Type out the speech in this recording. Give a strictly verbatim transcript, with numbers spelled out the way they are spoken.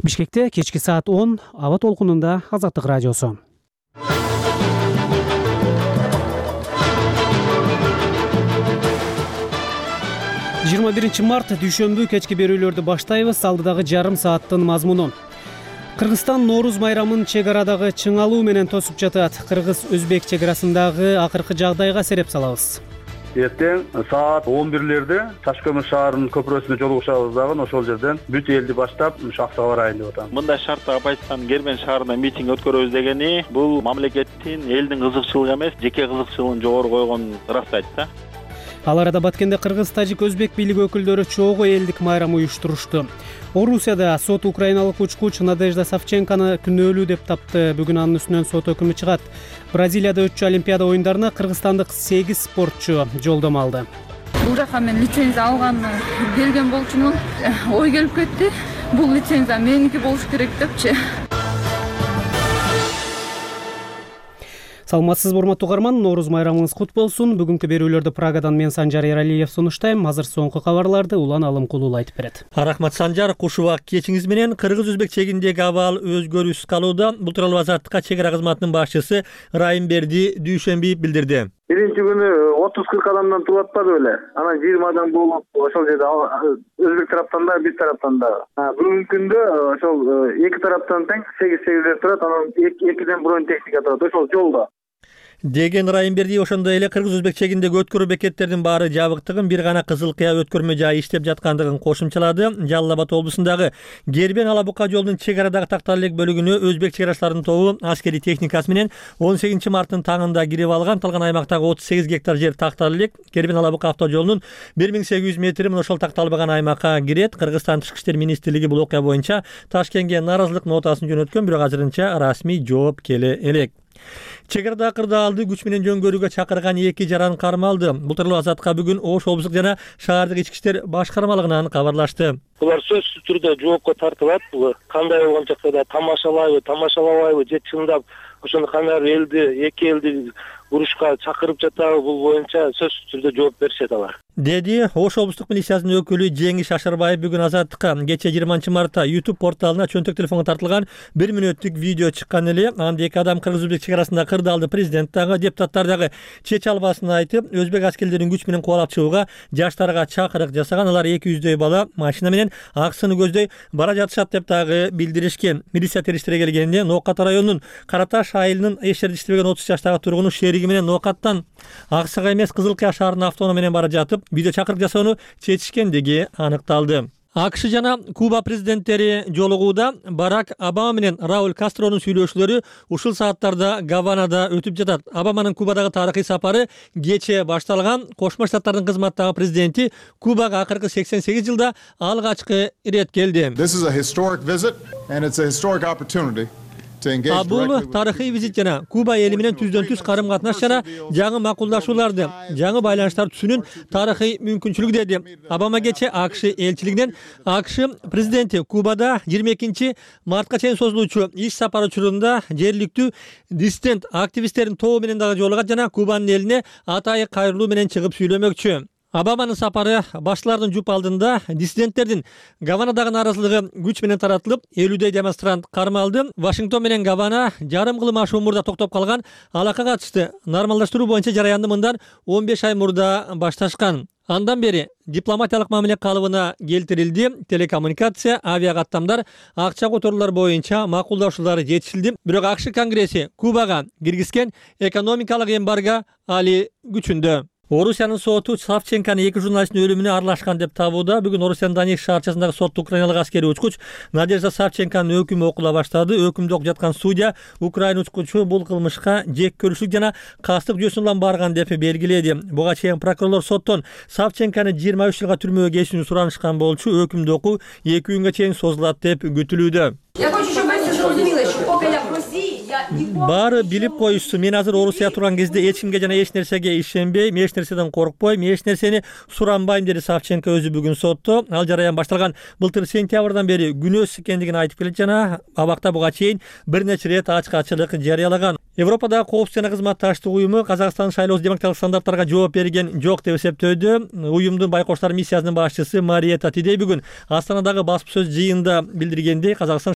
Бишкекте кечки саат он аба толкунунда Азаттык радиосу. жыйырма биринчи март дүйшөмбү кечки берүүлөрдү баштайбыз. Алдыдагы жарым сааттын мазмуну. Кыргызстан Нооруз майрамын чек арадагы чыңалуу менен тосуп жатат. Кыргыз-өзбек чек арасындагы акыркы жагдайга сереп салабыз. Эртең саат он бирлерде Таш көмүр шаарынын көпүрөсүнө жолугушабыз дагы ошол жерден бүт элди баштап Аксага барайын деп атам. Мындай шартта Байстан Гермен шаарында митинг өткөрөбүз дегени бул мамлекеттин элдин кызыкчылыгы эмес, жеке кызыкчылыгын жогору койгонун ырастайт да. Ал арада Баткенде кыргыз, тажик, өзбек бийлиги өкүлдөрү чогуу элдик майрам уюштурушту. Орусияда сот украиналык учкуч Надежда Савченкону күнөөлүү деп тапты. Бүгүн анын үстүнөн сот өкүмү чыгат. Бразилияда өтчү Олимпиада оюндарына кыргызстандык сегиз спортчу жолдомо алды. Бул жака мен лицензия алганды берген болчумун. Ой келип кетти. Бул лицензия меники болуш керек депчи. Саламатсыз урматтуу угарман, Нооруз майрамыңыз кут болсун. Бүгүнкү берүүлөрдү Прагадан мен Санжар Эралиев сунуштайм. Азыр соңку кабарларды Улан Алымкулуу айтып берет. Рахмат Санжар, куш убак кечиңиз менен. Кыргыз-өзбек чегиндеги абал өзгөрүүсүз калууда. Бул тууралуу Азаттыкка чек ара кызматынын башчысы Райымберди дүйшөмбү билдирди. Биринчи күнү отуз кырк адамдан турат атпады беле. Анан жыйырма адам болуп, ошол жерде өзбек тараптан да, биз тараптан да. Бүгүнкү күндө ошол эки тараптан тең сегиз сегиздер турат, анан экиден бронь техника турат. Ошол жолдо деген Райымберди ошондой эле кыргыз-өзбек чегиндеги өткөрүү бекеттердин баары жабыктыгын, бир гана Кызыл Кыя өткөрмө жайы иштеп жаткандыгын кошумчалады. Жалал Абад облусундагы Гербен Ала Бука жолунун чек арадагы тактал элек бөлүгүнө өзбек чек арачыларынын тобу аскерий техникасы менен он сегизинчи марттын таңында кирип алган. Талган аймактагы отуз сегиз гектар жер тактал элек. Гербен Ала Бука авто жолунун бир миң сегиз жүз метри мына ошол такталбаган аймакка кирет. Кыргызстан Тышкы иштер министрлиги бул окуя боюнча Ташкентке нааразылык нотасын жөнөткөн, бирок азырынча расмий жооп келе элек. Чек арада кырдаалды күч менен жөнгөрүүгө чакырган эки жаран кармалды. Бул тууралуу Азатка бүгүн Ош облустук жана шаардык ички иштер башкармалыгынан кабарлашты. Булар сөзсүз түрдө жоопко тартылат. Бул кандай болгон жакта тамашалайбы, тамашалабайбы, же чындап ошону кандайдыр элди, эки элди урушка чакырып жатабы, бул боюнча сөзсүз түрдө жооп беришет алар. Деди Ош облустук милициянын өкүлү Жеңиш Ашарбаев бүгүн Азаттыкка. Кече жыйырманчы мартта YouTube порталына чөнтөк телефонго тартылган бир мүнөттүк видео чыккан эле. Анда эки адам кыргыз-өзбек чек арасында кырдаалды президент дагы, депутаттар дагы чече албасын айтып, өзбек аскерлерин күч менен кубалап чыгууга жаштарга чакырык жасаган. Алар эки жүздөй бала машина менен аксыны көздөй бара жатышат деп дагы билдиришкен. Милиция териштире келгенде Ноокат районунун Караташ айылынын эч жерде иштебеген отуз жаштагы тургуну шериги менен Ноокаттан Аксага эмес Кызыл Кыя шаарына автоунаа менен бара жатып, видео чакырык жасоону чечишкендиги аныкталды. АКШ жана Куба президенттери жолугууда Барак Обама менен Рауль Кастронун сүйлөшүүлөрү ушул сааттарда Гаванада өтүп жатат. Обаманын Кубадагы тарыхый сапары кече башталган. Кошмо Штаттардын кызматтагы президенти Кубага акыркы сексен сегиз жылда алгачкы ирет келди. А бул тарыхый визит жана Куба эли менен түздөн түз карым катнаш жана жаңы макулдашууларды, жаңы байланыштарды түзүүнүн тарыхый мүмкүнчүлүгү деди. Обама кече АКШ элчилигинен АКШ президенти Кубада жыйырма экинчи мартка чейин созулуучу иш сапары учурунда жергиликтүү диссидент активисттердин тобу менен дагы жолугат жана Кубанын элине атайы кайрылуу менен чыгып сүйлөмөкчү. Обаманын сапары башчылардын жуп алдында диссиденттердин Гаванадагы нааразылыгы күч менен таратылып, элүүдөй демонстрант кармалды. Вашингтон менен Гавана жарым кылым ашуу мурда токтоп калган алака катышты. Нормалдаштыруу боюнча жараянды мындан он беш ай мурда башташкан. Андан бери дипломатиялык мамиле калыбына келтирилди. Телекоммуникация, авиакаттамдар, акча которуулар боюнча макулдашуулар жетишилди. Бирок АКШ Конгресси Кубага киргизген экономикалык эмбарго али күчүндө. Орусиянын соту Савченкону эки журналисттин өлүмүнө аралашкан деп табууда. Бүгүн Орусиянын Донецк шаарчасындагы сотто украиналык аскерий учкуч Надежда Савченконун өкүмү окула баштады. Өкүмдү окуп жаткан судья Украина учкучу бул кылмышка жек көрүүчүлүк жана кастык жүйөсүн улам барган деп белгиледи. Буга чейин прокурорлор соттон Савченкону жыйырма үч жылга түрмөгө кесүүнү суранышкан болчу. Өкүмдү окуу эки күнгө чейин созулат деп күтүлүүдө. Баары билип коюшсу, мен азыр Орусияда турган кезде эч кимге жана эч нерсеге ишенбейм, эч нерседен коркпойм, эч нерсени суранбайм деди Савченко өзү бүгүн сотто. Ал жараян башталган былтыр сентябрдан бери күнөөсүз экендигин айтып келет жана абакта буга чейин бир нече ирет ачкачылык жарыялаган. Европадагы коопсуздук жана кызматташтык уюму Казакстан шайлоо демократиялык стандарттарга жооп берген жок деп эсептөөдө. Уюмдун байкоштор миссиясынын башчысы Мария Татидей бүгүн Астанадагы басма сөз жыйынында билдиргендей, Казакстан